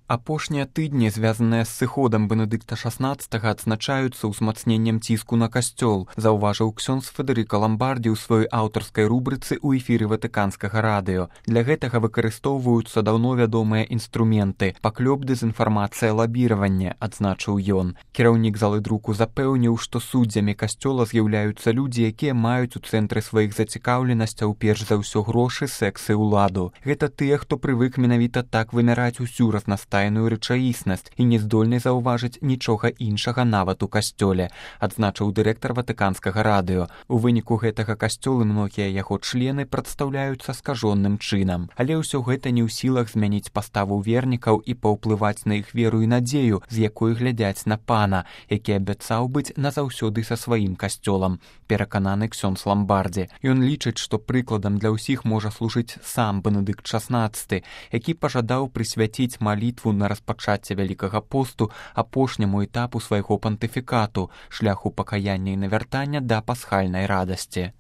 Апошнія тыдні, звязаныя з сыходам Бенедыкта XVI, адзначаюцца ўзмацненнем ціску на касцёл, заўважыў ксёндз Федэрыка Ламбардзі ў сваёй аўтарскай рубрыцы ў эфіры Ватыканскага радыё. Для гэтага выкарыстоўваюцца даўно вядомыя інструменты – паклёп, дэзінфармацыя, лабіраванне, адзначыў ён. Кіраўнік залы друку запэўніў, што суддзямі касцёла з'яўляюцца людзі, якія маюць у цэнтры сваіх зацікаўленасцяў перш за ўсё грошы, секс і ўладу. Гэта тыя, хто прывык менавіта так вымяраць усю разнастайную рэчаіснасць і не здольны заўважыць нічога іншага нават у касцёле, адзначыў дырэктар Ватыканскага радыё. У выніку гэтага касцёл і многія яго члены прадстаўляюцца скажоным чынам. Але ўсё гэта не ў сілах змяніць паставу вернікаў і паўплываць на іх веру і надзею, з якой глядзяць на пана, які абяцаў быць назаўсёды са сваім касцёлам, перакананы ксёндз Ламбардзі. Ён лічыць, што прыкладам для ўсіх можа служыць сам Бенедыкт XVI, які пажадаў прысвяціць малітву на распачацце Вялікага посту апошняму этапу свайго пантыфікату, шляху пакаяння і навяртання да пасхальнай радасці.